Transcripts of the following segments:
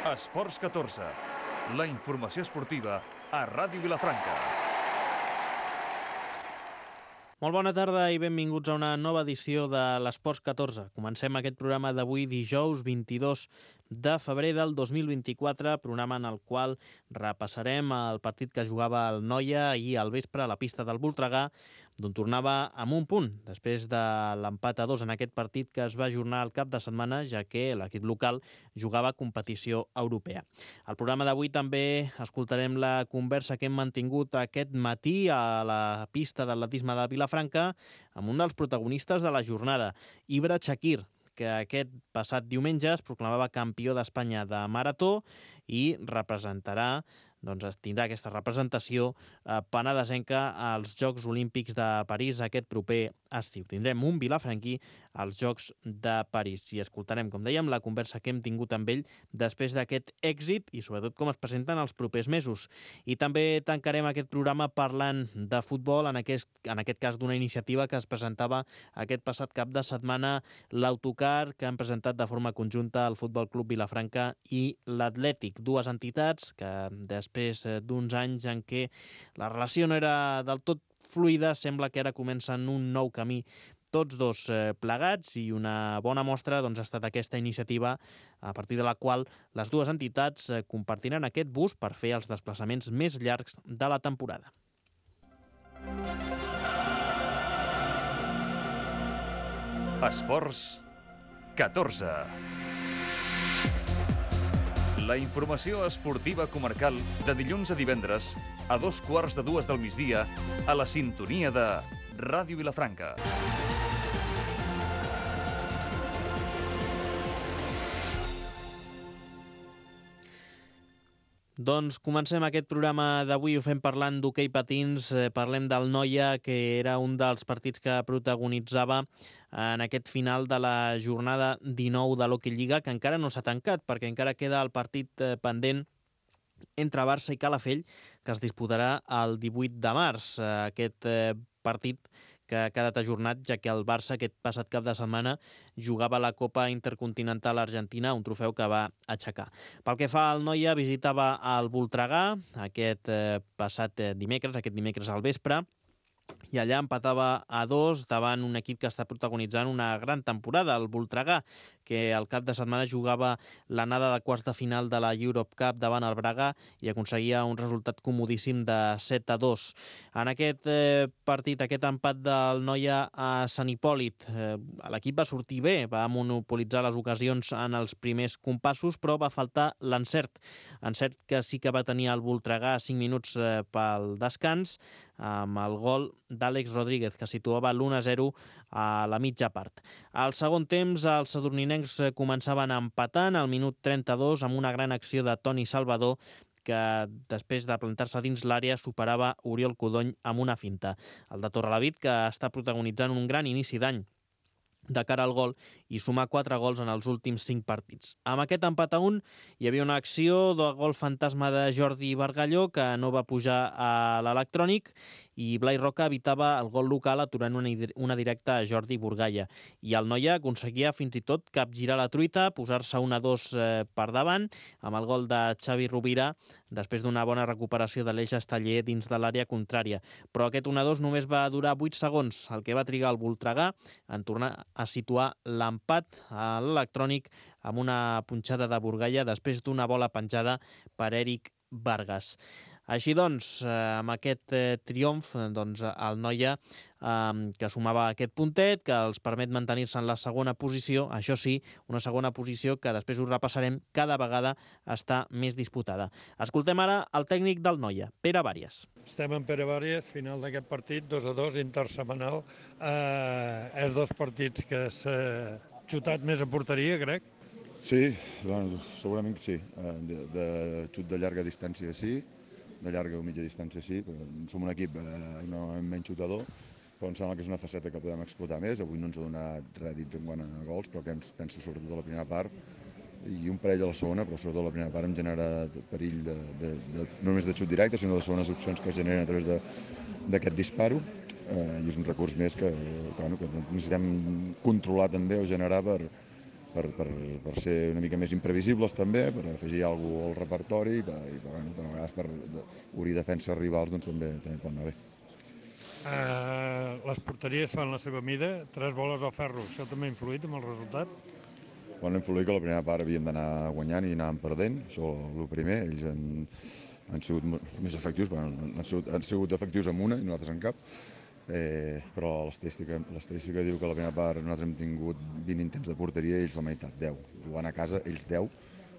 Esports 14, la informació esportiva a Ràdio Vilafranca. Molt bona tarda i benvinguts a una nova edició de l'Esports 14. Comencem aquest programa d'avui dijous 22 de febrer del 2024, programa en el qual repassarem el partit que jugava el Noia ahir al vespre a la pista del Voltregà, d'on tornava amb un punt, després de l'empat a 2 en aquest partit que es va ajornar al cap de setmana, ja que l'equip local jugava competició europea. Al programa d'avui també escoltarem la conversa que hem mantingut aquest matí a la pista d'atletisme de Vilafranca amb un dels protagonistes de la jornada, Ibra Chakir, que aquest passat diumenge es proclamava campió d'Espanya de marató i representarà, tindrà aquesta representació penedesenca als Jocs Olímpics de París aquest proper estiu. Tindrem un vilafranquí als Jocs de París i escoltarem, com dèiem, la conversa que hem tingut amb ell després d'aquest èxit i sobretot com es presenten els propers mesos. I també tancarem aquest programa parlant de futbol, en aquest cas d'una iniciativa que es presentava aquest passat cap de setmana, l'autocar que han presentat de forma conjunta el Futbol Club Vilafranca i l'Atlètic, dues entitats que després d'uns anys en què la relació no era del tot fluida, sembla que ara comencen un nou camí tots dos plegats, i una bona mostra ha estat aquesta iniciativa a partir de la qual les dues entitats compartiran aquest bus per fer els desplaçaments més llargs de la temporada. Esports 14. La informació esportiva comarcal de dilluns a divendres a 2:15 del migdia a la sintonia de Ràdio Vilafranca. Doncs comencem aquest programa d'avui, ho fem parlant d'hoquei patins, parlem del Noia, que era un dels partits que protagonitzava en aquest final de la jornada 19 de l'Hockey Lliga, que encara no s'ha tancat, perquè encara queda el partit pendent entre Barça i Calafell, que es disputarà el 18 de març. Aquest partit que ha quedat ajornat, ja que el Barça aquest passat cap de setmana jugava la Copa Intercontinental Argentina, un trofeu que va aixecar. Pel que fa al Noia, visitava el Voltregà aquest passat dimecres al vespre, i allà empatava a 2 davant un equip que està protagonitzant una gran temporada, el Voltregà, que al cap de setmana jugava l'anada de quarts de final de la Europe Cup davant el Braga i aconseguia un resultat comodíssim de 7-2. En aquest partit, aquest empat del Noia a Sant Hipòlit, l'equip va sortir bé, va monopolitzar les ocasions en els primers compassos, però va faltar l'encert. Encert que sí que va tenir el Voltregà a 5 minuts pel descans, amb el gol d'Àlex Rodríguez, que situava l'1-0 a la mitja part. Al segon temps, els sadurninencs començaven empatant al minut 32 amb una gran acció de Toni Salvador, que després de plantar-se dins l'àrea superava Oriol Codony amb una finta. El de Torrelavit, que està protagonitzant un gran inici d'any de cara al gol i sumar 4 gols en els últims 5 partits. Amb aquest empat a 1 hi havia una acció de gol fantasma de Jordi Bargalló, que no va pujar a l'electrònic, i Blai Roca evitava el gol local aturant una directa a Jordi Burgalla. I el Noia aconseguia fins i tot capgirar la truita, posar-se 1-2 per davant, amb el gol de Xavi Rovira, després d'una bona recuperació de l'Eix Esteller dins de l'àrea contrària. Però aquest 1-2 només va durar 8 segons, el que va trigar el Voltregà en tornar a situar l'empat a l'electrònic amb una punxada de Burgalla després d'una bola penjada per Eric Vargas. Així doncs, amb aquest triomf, el Noia, que sumava aquest puntet, que els permet mantenir-se en la segona posició, això sí, una segona posició que després ho repassarem, cada vegada està més disputada. Escoltem ara el tècnic del Noia, Pere Vàries. Estem en Pere Vàries, final d'aquest partit, 2-2, intersetmanal. És dos partits que s'ha xutat més a porteria, crec. Sí, bueno, segurament que sí. De xut de llarga distància sí, de llarga o mitja distància sí, però som un equip no menys xutador, però em sembla que és una faceta que podem explotar més. Avui no ens ha donat rèdits en quant a gols, però que penso sobretot a la primera part, i un parell a la segona, però sobretot a la primera part em genera perill no només de xut directe, sinó de segones opcions que es generen a través d'aquest disparo, i és un recurs més que necessitem controlar també o generar per per ser una mica més imprevisibles també, per afegir alguna cosa al repertori i a vegades per obrir defenses rivals doncs, també pot anar bé. Les porteries fan la seva mida, 3 boles al ferro, això també ha influït amb el resultat? Bueno, ha influït que la primera part havíem d'anar guanyant i anàvem perdent, això el primer, ells han sigut més efectius, han sigut efectius amb una i nosaltres en cap, però l'estadística diu que la primera part nosaltres hem tingut 20 intents de porteria i ells la meitat, 10. Jugant a casa, ells 10,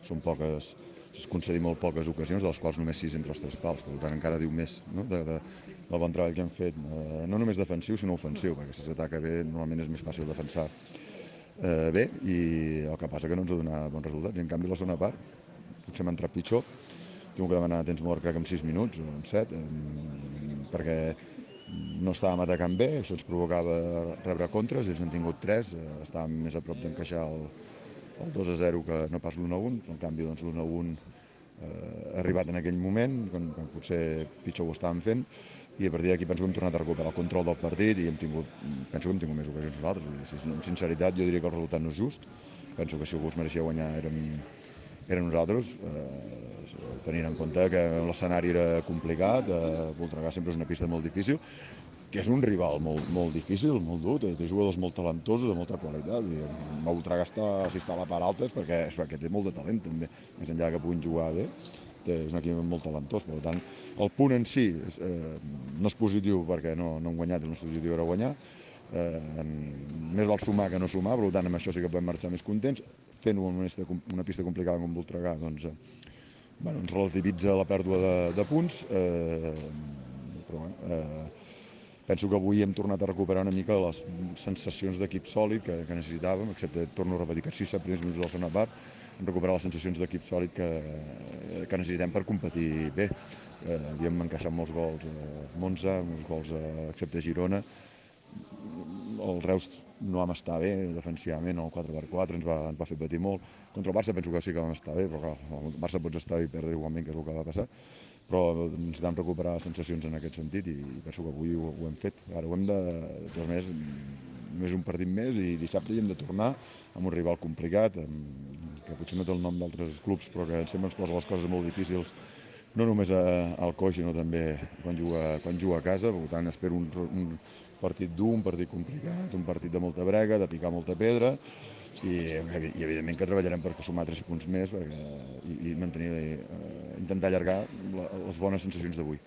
són poques, es concedir molt poques ocasions, de les quals només 6 entre els 3 pals, per tant encara diu més, no? del bon treball que hem fet, no només defensiu sinó ofensiu, perquè si s'ataca bé normalment és més fàcil defensar bé, i el que passa que no ens ha donat bons resultats, i en canvi la segona part potser m'ha entrat pitjor, tinc que demanar temps mort crec en 6 minuts o en 7, perquè no estàvem atacant bé, això ens provocava rebre contres, ells n'han tingut 3, estàvem més a prop d'encaixar el 2-0 que no pas l'1-1, en canvi doncs, l'1-1 ha arribat en aquell moment, quan potser pitjor ho estàvem fent, i a partir d'aquí penso que hem tornat a recuperar el control del partit i penso que hem tingut més ocasions nosaltres. Amb sinceritat jo diria que el resultat no és just, penso que si algú es mereixia guanyar eren nosaltres, tenint en compte que l'escenari era complicat, Voltregà sempre és una pista molt difícil, que és un rival molt difícil, molt dur, té jugadors molt talentosos, de molta qualitat. Voltregà si està a la part alta és perquè té molt de talent també, més enllà que puguin jugar bé. És un equip molt talentós, per tant, el punt en si no és positiu perquè no hem guanyat, el nostre objectiu era guanyar, més val sumar que no sumar, per tant, amb això sí que podem marxar més contents, fent-ho en una pista complicada com Voltregà, doncs, ens relativitza la pèrdua de punts, però penso que avui hem tornat a recuperar una mica les sensacions d'equip sòlid que necessitàvem, excepte, torno a repetir, que 6 primers minuts de la segona part, recuperar les sensacions d'equip sòlid que necessitem per competir bé. Havíem encaixat molts gols a Monza, molts gols excepte Girona. El Reus no vam estar bé defensivament, el 4x4 ens va fer patir molt. Contra el Barça penso que sí que vam estar bé, però clar, el Barça pots estar bé i perdre igualment, que és el que va passar. Però necessitem recuperar sensacions en aquest sentit i penso que avui ho hem fet. Ara ho hem de totes maneres, només un partit més i dissabte hi hem de tornar amb un rival complicat, que potser no té el nom d'altres clubs, però que sempre ens posa les coses molt difícils, no només al coix, sinó també quan juga a casa. Per tant, espero un partit dur, un partit complicat, un partit de molta brega, de picar molta pedra, i evidentment que treballarem per sumar 3 punts més i intentar allargar les bones sensacions d'avui.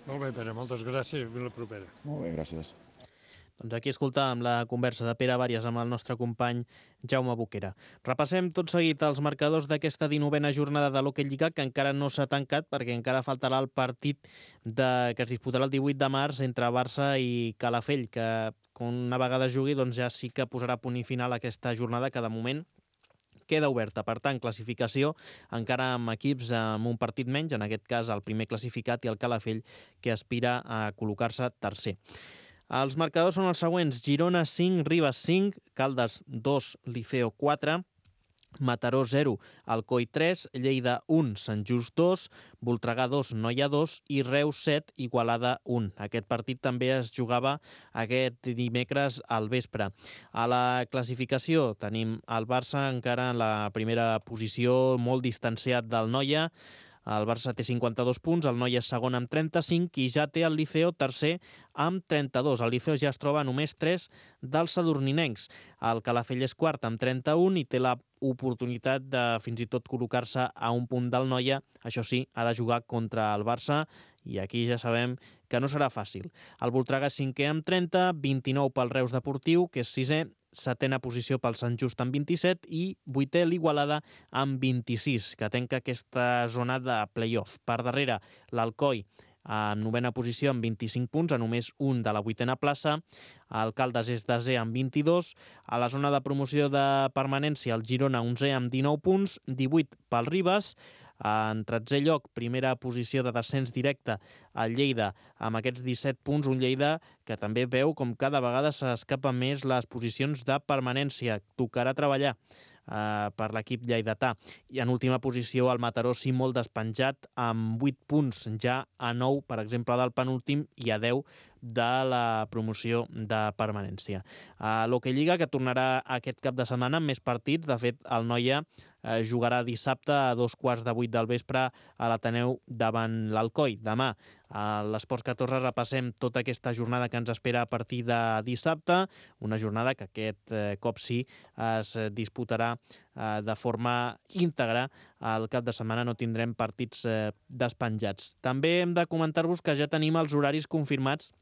Molt bé, Pere, moltes gràcies i fins la propera. Molt bé, gràcies. Doncs aquí escoltàvem la conversa de Pere Bàrias amb el nostre company Jaume Boquera. Repassem tot seguit els marcadors d'aquesta 19a jornada de l'Hockey Lliga, que encara no s'ha tancat perquè encara faltarà el partit que es disputarà el 18 de març entre Barça i Calafell, que una vegada jugui doncs ja sí que posarà punt i final a aquesta jornada que de moment queda oberta. Per tant, classificació encara amb equips amb un partit menys, en aquest cas el primer classificat i el Calafell, que aspira a col·locar-se tercer. Els marcadors són els següents: Girona 5, Ribes 5, Caldes 2, Liceo 4, Mataró 0, Alcoi 3, Lleida 1, Sant Just 2, Voltregà 2, Noia 2 i Reus 7, Igualada 1. Aquest partit també es jugava aquest dimecres al vespre. A la classificació tenim el Barça encara en la primera posició, molt distanciat del Noia. El Barça té 52 punts, el Noia és segon amb 35 i ja té el Liceo tercer amb 32. El Liceo ja es troba a només 3 dels sadurninencs. El Calafell és quart amb 31 i té la oportunitat de fins i tot col·locar-se a un punt del Noia. Això sí, ha de jugar contra el Barça i aquí ja sabem que no serà fàcil. El Voltregà és cinquè amb 30, 29 pel Reus Deportiu, que és sisè, setena posició pel Sant Just amb 27 i vuitè l'Igualada amb 26, que tanca aquesta zona de play-off. Per darrere, l'Alcoi en novena posició amb 25 punts, a només un de la vuitena plaça. El Caldes és desè amb 22. A la zona de promoció de permanència, el Girona 11è amb 19 punts, 18 pel Ribes. En 13è lloc, primera posició de descens directe, el Lleida amb aquests 17 punts, un Lleida que també veu com cada vegada s'escapa més les posicions de permanència. Tocarà treballar per l'equip lleidatà. I en última posició el Mataró sí molt despenjat amb 8 punts, ja a 9, per exemple, del penúltim i a 10 de la promoció de permanència. L'Hockey Lliga, que tornarà aquest cap de setmana amb més partits. De fet, el Noia jugarà dissabte a 2:15 del vespre a l'Ateneu davant l'Alcoi. Demà a l'Esports 14 repassem tota aquesta jornada que ens espera a partir de dissabte, una jornada que aquest cop sí es disputarà de forma íntegra. Al cap de setmana no tindrem partits despenjats. També hem de comentar-vos que ja tenim els horaris confirmats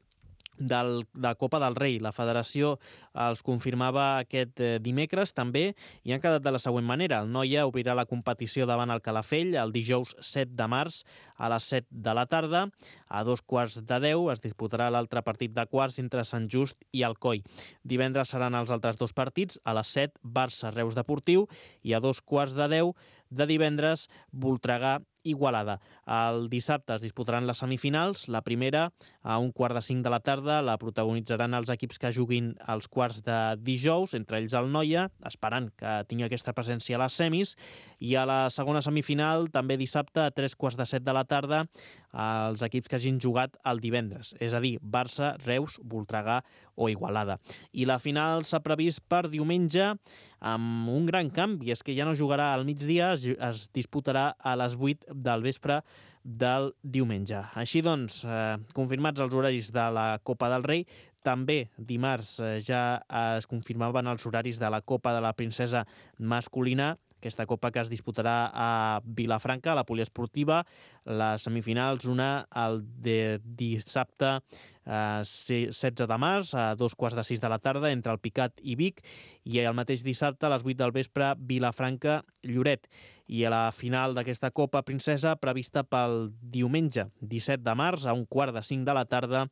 de la Copa del Rei. La federació els confirmava aquest dimecres també i han quedat de la següent manera. El Noia obrirà la competició davant el Calafell el dijous 7 de març a les 7 de la tarda. A 9:15 es disputarà l'altre partit de quarts entre Sant Just i Alcoi. Divendres seran els altres dos partits. A les 7, Barça-Reus Deportiu i a 9:15 de divendres, Voltregà Igualada. El dissabte es disputaran les semifinals. La primera, a 1:45 de la tarda, la protagonitzaran els equips que juguin als quarts de dijous, entre ells el Noia, esperant que tingui aquesta presència a les semis. I a la segona semifinal, també dissabte, a 3:15 de la tarda, els equips que hagin jugat el divendres, és a dir, Barça, Reus, Voltregà o Igualada. I la final s'ha previst per diumenge amb un gran canvi, és que ja no jugarà al migdia, es disputarà a les 8 del vespre del diumenge. Així doncs, confirmats els horaris de la Copa del Rei, també dimarts ja es confirmaven els horaris de la Copa de la Princesa masculina, aquesta copa que es disputarà a Vilafranca, a la poliesportiva. Les semifinals, una el de dissabte 16 de març a 2:15 de la tarda entre el Picat i Vic, i el mateix dissabte a les 8 del vespre Vilafranca-Lloret. I a la final d'aquesta Copa Princesa prevista pel diumenge 17 de març a 1:15 de la tarda,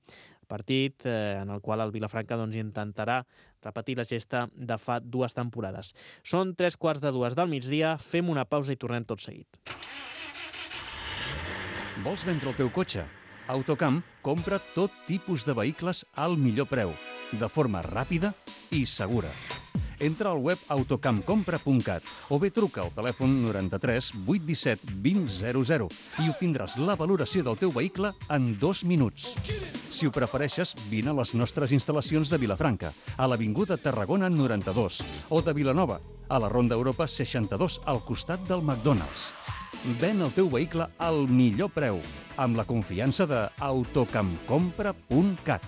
partit en el qual el Vilafranca intentarà repetir la gesta de fa 2 temporades. Són 3:15 del migdia, fem una pausa i tornem tot seguit. Vols vendre el teu cotxe? Autocamp compra tot tipus de vehicles al millor preu, de forma ràpida i segura. Entra al web autocampcompra.cat o bé truca al telèfon 93 817 2000 i obtindràs la valoració del teu vehicle en 2 minuts. Si ho prefereixes, vine a les nostres instal·lacions de Vilafranca, a l'Avinguda Tarragona 92, o de Vilanova, a la Ronda Europa 62, al costat del McDonald's. Ven el teu vehicle al millor preu, amb la confiança de autocampcompra.cat.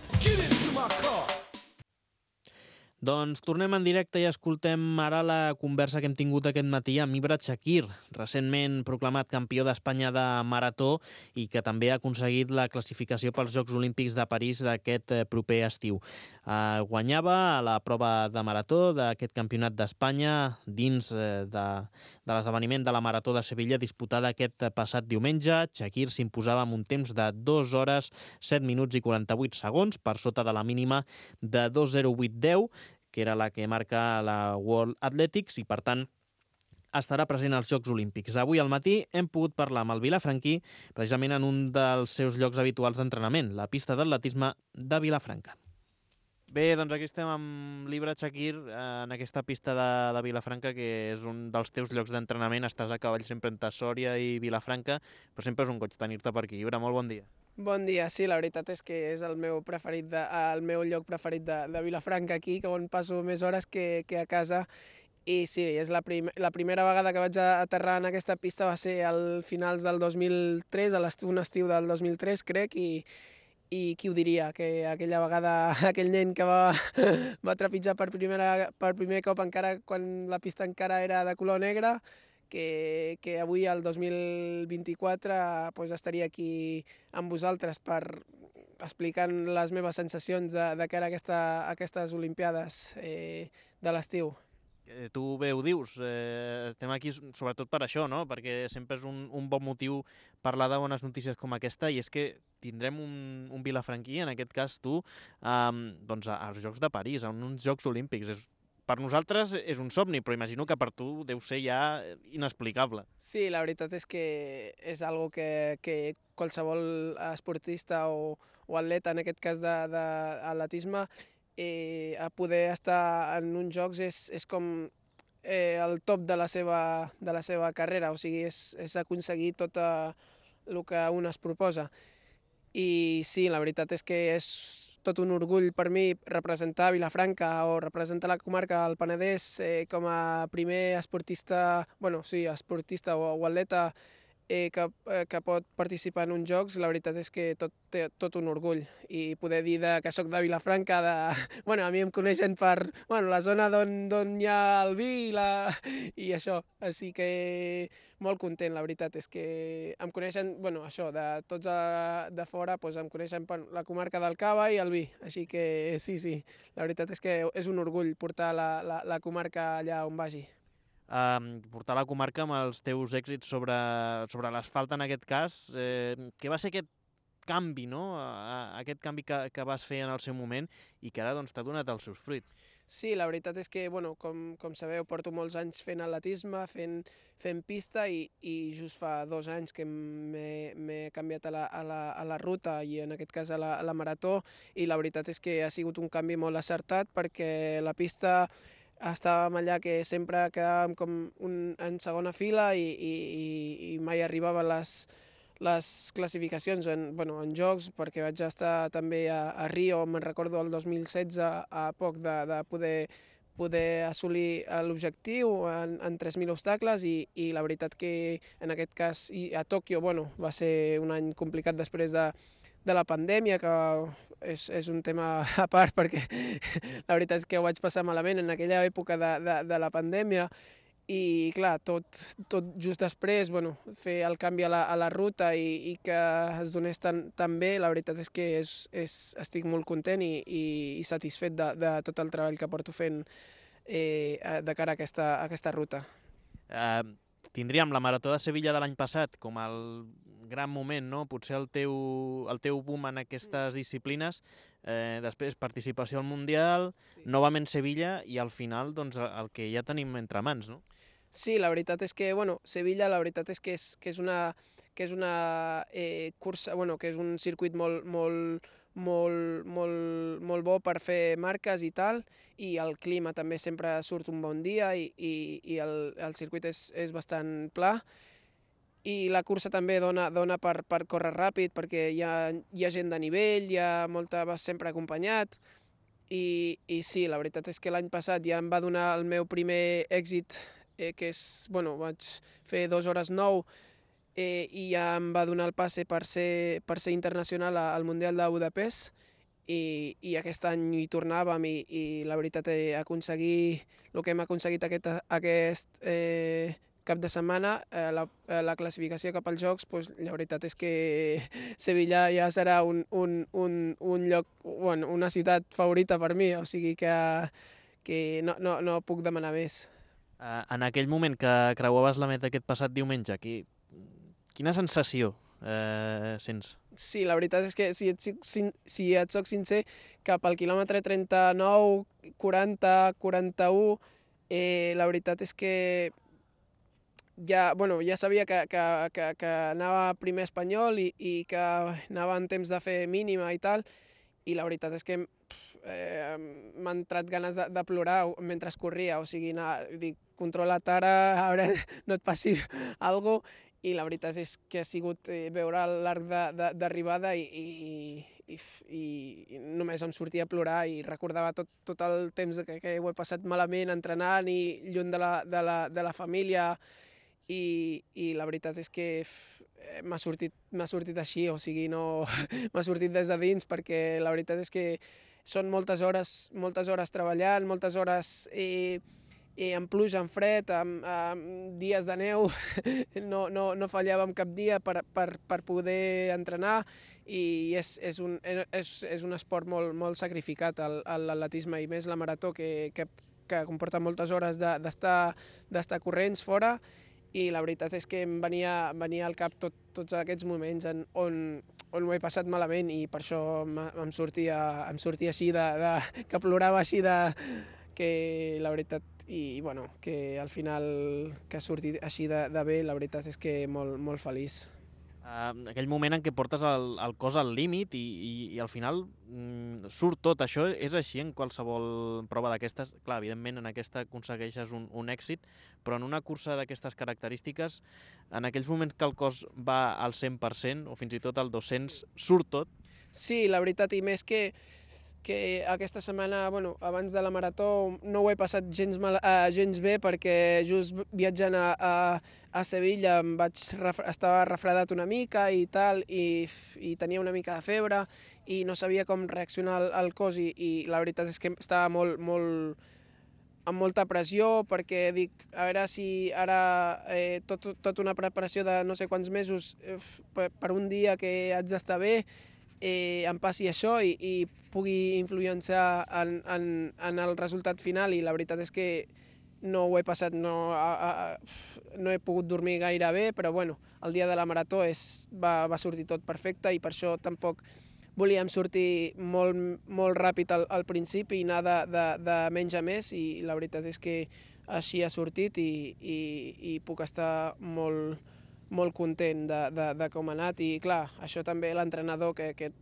Doncs tornem en directe i escoltem ara la conversa que hem tingut aquest matí amb Ibra Chakir, recentment proclamat campió d'Espanya de marató i que també ha aconseguit la classificació pels Jocs Olímpics de París d'aquest proper estiu. Guanyava a la prova de marató d'aquest campionat d'Espanya dins de l'esdeveniment de la Marató de Sevilla disputada aquest passat diumenge. Chakir s'imposava amb un temps de 2 hores, 7 minuts i 48 segons, per sota de la mínima de 2:08:10, que era la que marca la World Athletics, i per tant estarà present als Jocs Olímpics. Avui al matí hem pogut parlar amb el vilafranquí precisament en un dels seus llocs habituals d'entrenament, la pista d'atletisme de Vilafranca. Bé, doncs aquí estem amb l'Ibra Chakir en aquesta pista de Vilafranca, que és un dels teus llocs d'entrenament. Estàs a cavall sempre entre Sòria i Vilafranca, però sempre és un goig tenir-te per aquí. Ibra, molt bon dia. Bon dia, sí, la veritat és que és el meu lloc preferit de Vilafranca aquí, on passo més hores que a casa. I sí, és la primera vegada que vaig aterrar en aquesta pista va ser al finals del 2003, un estiu del 2003, crec, i qui ho diria, que aquella vegada aquell nen que va trepitjar per primer cop encara quan la pista encara era de color negre, que avui, el 2024, estaria aquí amb vosaltres explicant les meves sensacions de cara a aquestes Olimpiades de l'estiu. Tu bé ho dius, estem aquí sobretot per això, no? Perquè sempre és un bon motiu parlar de bones notícies com aquesta, i és que tindrem un vilafranquí, en aquest cas tu, als Jocs de París, en uns Jocs Olímpics. Per nosaltres és un somni, però imagino que per tu deu ser ja inexplicable. Sí, la veritat és que és algo que qualsevol esportista o atleta, en aquest cas d'atletisme, a poder estar en uns jocs és com el top de la seva carrera, o sigui, és aconseguir tot el que un es proposa. I sí, la veritat és que és tot un orgull per mi representar Vilafranca o representar la comarca del Penedès com a primer esportista, esportista o atleta que pot participar en uns jocs. La veritat és que tot un orgull, i poder dir que soc de Vilafranca, a mi em coneixen per la zona d'on hi ha el vi i això, així que molt content. La veritat és que em coneixen, de tots de fora, doncs em coneixen per la comarca del Cava i el vi, així que sí, la veritat és que és un orgull portar la comarca allà on vagi. Portar la comarca amb els teus èxits sobre l'asfalt en aquest cas. Què va ser aquest canvi, no? Aquest canvi que vas fer en el seu moment i que ara t'ha donat els seus fruits. Sí, la veritat és que, com sabeu, porto molts anys fent atletisme, fent pista i just fa 2 anys que m'he canviat a la ruta i en aquest cas a la marató, i la veritat és que ha sigut un canvi molt acertat perquè la pista estàvem allà que sempre quedàvem com en segona fila i mai arribava a les classificacions en jocs, perquè vaig estar també a Rio, me'n recordo el 2016, a poc de poder assolir l'objectiu en 3.000 obstacles, i la veritat que en aquest cas a Tòquio va ser un any complicat després de la pandèmia, que és un tema a part, perquè la veritat és que ho vaig passar malament en aquella època de la pandèmia, i clar, tot just després, fer el canvi a la ruta i que es donés tan bé, la veritat és que estic molt content i satisfet de tot el treball que porto fent de cara a aquesta ruta. Tindríem la Marató de Sevilla de l'any passat com el gran moment, no? Potser el teu boom en aquestes disciplines, després participació al Mundial, novament Sevilla i al final el que ja tenim entre mans, no? Sí, la veritat és que, Sevilla, la veritat és que és una cursa, que és un circuit molt bo per fer marques i tal, i el clima també sempre surt un bon dia i el circuit és bastant pla, i la cursa també dona per córrer ràpid perquè hi ha gent de nivell, vas sempre acompanyat, i sí, la veritat és que l'any passat ja em va donar el meu primer èxit, que és, vaig fer 2 hores 9, i ja em va donar el passe per ser internacional al Mundial de Budapest, i aquest any hi tornàvem, i la veritat aconseguir el que hem aconseguit aquest cap de setmana, la classificació cap als Jocs, la veritat és que Sevilla ja serà un lloc, una ciutat favorita per mi, o sigui que no puc demanar més. En aquell moment que creuaves la meta aquest passat diumenge, quina sensació sents? Sí, la veritat és que, si et soc sincer, cap al quilòmetre 39, 40, 41, la veritat és que ja sabia que anava primer espanyol i que anava en temps de fer mínima i tal, i la veritat és que m'ha entrat ganes de plorar mentre corria, o sigui, dic, controla't ara, a veure, no et passi alguna cosa, i la veritat és que ha sigut veure l'arc d'arribada i només em sortia a plorar i recordava tot el temps que ho he passat malament entrenant i lluny de la família, i la veritat és que m'ha sortit així, o sigui, no m'ha sortit des de dins, perquè la veritat és que són moltes hores treballant, moltes hores amb pluja, amb fred, amb dies de neu, no fallàvem cap dia per poder entrenar, i és un esport molt sacrificat, l'atletisme, i més la marató, que comporta moltes hores d'estar corrents fora, i la veritat és que em venia al cap tots aquests moments on ho he passat malament, i per això em sortia així, que plorava així, que la veritat, i que al final que ha sortit així de bé, la veritat és que molt feliç. Aquell moment en què portes el cos al límit i al final surt tot. Això és així en qualsevol prova d'aquestes. Clar, evidentment en aquesta aconsegueixes un èxit, però en una cursa d'aquestes característiques, en aquells moments que el cos va al 100% o fins i tot al 200%, surt tot? Sí, la veritat, i més que que aquesta setmana, abans de la marató, no ho he passat gens bé perquè just viatjant a Sevilla estava refredat una mica i tal, i tenia una mica de febre i no sabia com reaccionar al cos i la veritat és que estava amb molta pressió perquè dic, a veure si ara tot una preparació de no sé quants mesos per un dia que haig d'estar bé em passi això i pugui influenciar en el resultat final, i la veritat és que no ho he passat, no he pogut dormir gaire bé, però el dia de la marató va sortir tot perfecte i per això tampoc volíem sortir molt ràpid al principi i anar de menys a més, i la veritat és que així ha sortit i puc estar molt content de com ha anat. I clar, això també l'entrenador que et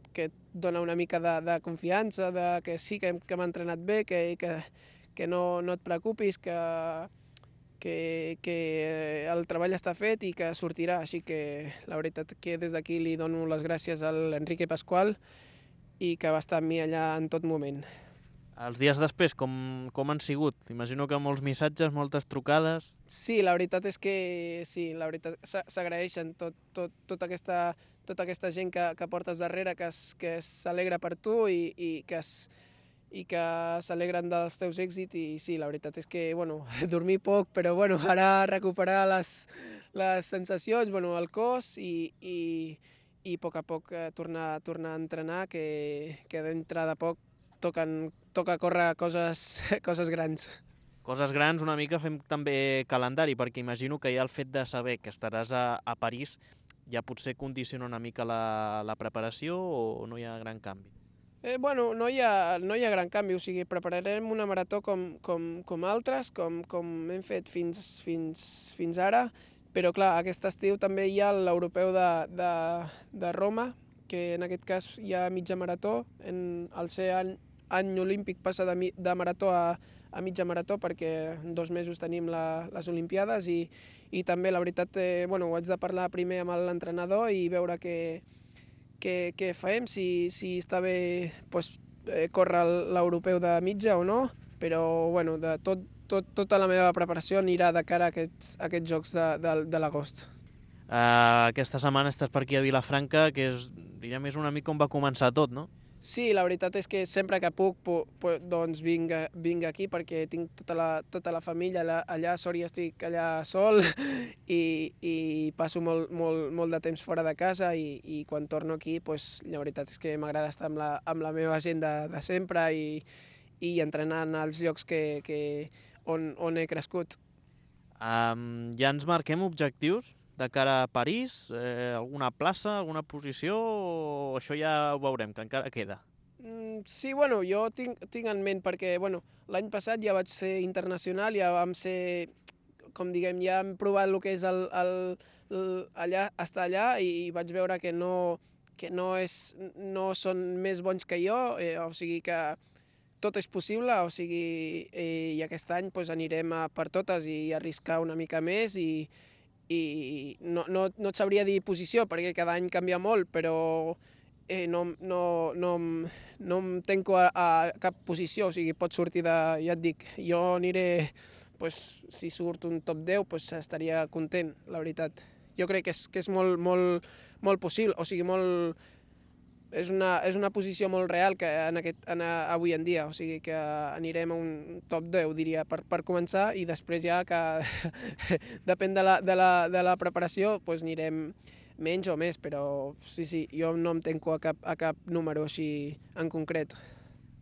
dona una mica de confiança, que sí que m'ha entrenat bé, que no et preocupis, que el treball està fet i que sortirà. Així que la veritat que des d'aquí li dono les gràcies a l'Enrique Pascual i que va estar amb mi allà en tot moment. Els dies després, com han sigut? Imagino que molts missatges, moltes trucades... Sí, la veritat és que sí, la veritat s'agraeixen tota aquesta gent que portes darrere, que s'alegra per tu i que s'alegren dels teus èxits, i sí, la veritat és que, dormir poc, però ara recuperar les sensacions, el cos i a poc tornar a entrenar, que dintre de poc toca córrer coses grans. Coses grans, una mica fem també calendari, perquè imagino que ja el fet de saber que estaràs a París ja potser condiciona una mica la preparació, o no hi ha gran canvi? No hi ha gran canvi, o sigui, prepararem una marató com altres, com hem fet fins ara, però clar, aquest estiu també hi ha l'europeu de Roma, que en aquest cas hi ha mitja marató, al ser any olímpic passa de marató a mitja marató, perquè en 2 mesos tenim les Olimpiades, i també la veritat ho haig de parlar primer amb l'entrenador i veure què fem, si està bé córrer l'europeu de mitja o no, però tota la meva preparació anirà de cara a aquests jocs de l'agost. Aquesta setmana estàs per aquí a Vilafranca, que és una mica on va començar tot, no? Sí, la veritat és que sempre que puc doncs vinc aquí, perquè tinc tota la família allà, sort i estic allà sol i passo molt de temps fora de casa, i quan torno aquí la veritat és que m'agrada estar amb la meva gent de sempre i entrenant als llocs on he crescut. Ja ens marquem objectius de cara a París? Alguna plaça, alguna posició, o això ja ho veurem, que encara queda? Sí, jo tinc en ment, perquè l'any passat ja vaig ser internacional, ja vam ser, com diguem, ja hem provat el que és estar allà, i vaig veure que no són més bons que jo, o sigui que tot és possible, o sigui, i aquest any anirem per totes i arriscar una mica més, i no et sabria dir posició perquè cada any canvia molt, però no em tanco a cap posició, o sigui, pot sortir ja et dic, jo aniré, si surt un top 10 estaria content, la veritat. Jo crec que és molt possible, o sigui, és una posició molt real que avui en dia, o sigui que anirem a un top 10, diria, per començar, i després ja que depèn de la preparació, anirem menys o més, però sí, jo no em tanco a cap número així en concret.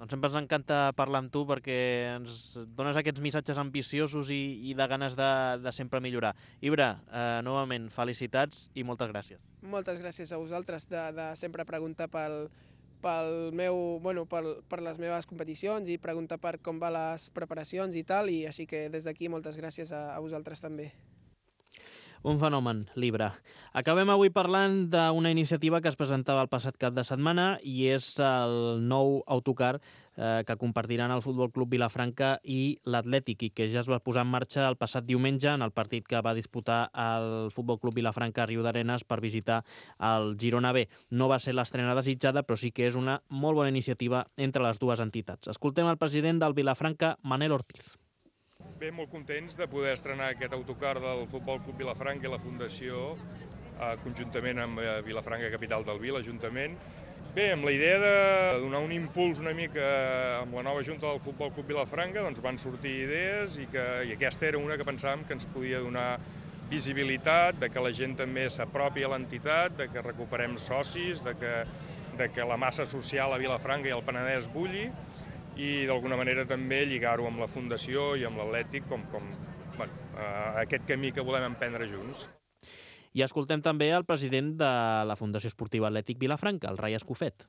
Doncs sempre ens encanta parlar amb tu, perquè ens dones aquests missatges ambiciosos i de ganes de sempre millorar. Ibra, novament, felicitats i moltes gràcies. Moltes gràcies a vosaltres de sempre preguntar per les meves competicions i preguntar per com van les preparacions i tal, i així que des d'aquí moltes gràcies a vosaltres també. Un fenomen, Libra. Acabem avui parlant d'una iniciativa que es presentava el passat cap de setmana i és el nou autocar que compartiran el Futbol Club Vilafranca i l'Atlètic i que ja es va posar en marxa el passat diumenge en el partit que va disputar el Futbol Club Vilafranca a Riudarenes per visitar el Girona B. No va ser l'estrena desitjada, però sí que és una molt bona iniciativa entre les dues entitats. Escoltem el president del Vilafranca, Manel Ortiz. Bé, molt contents de poder estrenar aquest autocar del Futbol Club Vilafranca i la Fundació conjuntament amb Vilafranca Capital del Vi, l'Ajuntament. Bé, amb la idea de donar un impuls una mica amb la nova Junta del Futbol Club Vilafranca, doncs van sortir idees i aquesta era una que pensàvem que ens podia donar visibilitat, de que la gent també s'apropi a l'entitat, de que recuperem socis, de que la massa social a Vilafranca i al Penedès bulli, i d'alguna manera també lligar-ho amb la Fundació i amb l'Atlètic com aquest camí que volem emprendre junts. I escoltem també el president de la Fundació Esportiva Atlètic Vilafranca, el Rai Escofet.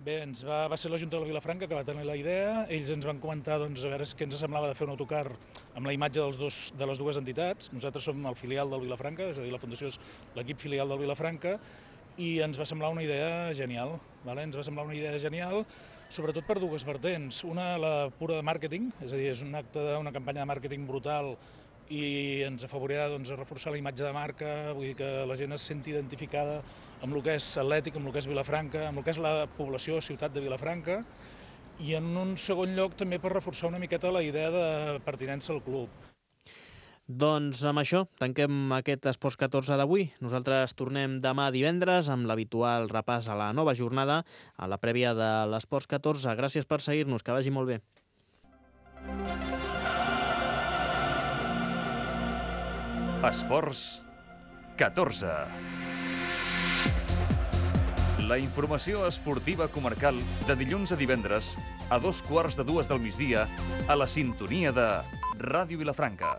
Bé, va ser la Junta de Vilafranca que va tenir la idea, ells ens van comentar a veure què ens semblava de fer un autocar amb la imatge de les dues entitats. Nosaltres som el filial del Vilafranca, és a dir, la Fundació és l'equip filial del Vilafranca, i ens va semblar una idea genial. Ens va semblar una idea genial, sobretot per dues vertents. Una, la pura de màrqueting, és a dir, és una campanya de màrqueting brutal i ens afavorirà a reforçar la imatge de marca, vull dir que la gent es senti identificada amb el que és Atlètic, amb el que és Vilafranca, amb el que és la població, ciutat de Vilafranca, i en un segon lloc també per reforçar una miqueta la idea de pertinença al club. Doncs amb això tanquem aquest Esports 14 d'avui. Nosaltres tornem demà divendres amb l'habitual repàs a la nova jornada, a la prèvia de l'Esports 14. Gràcies per seguir-nos, que vagi molt bé. Esports 14. La informació esportiva comarcal de dilluns a divendres a 2:15 del migdia a la sintonia de Ràdio Vilafranca.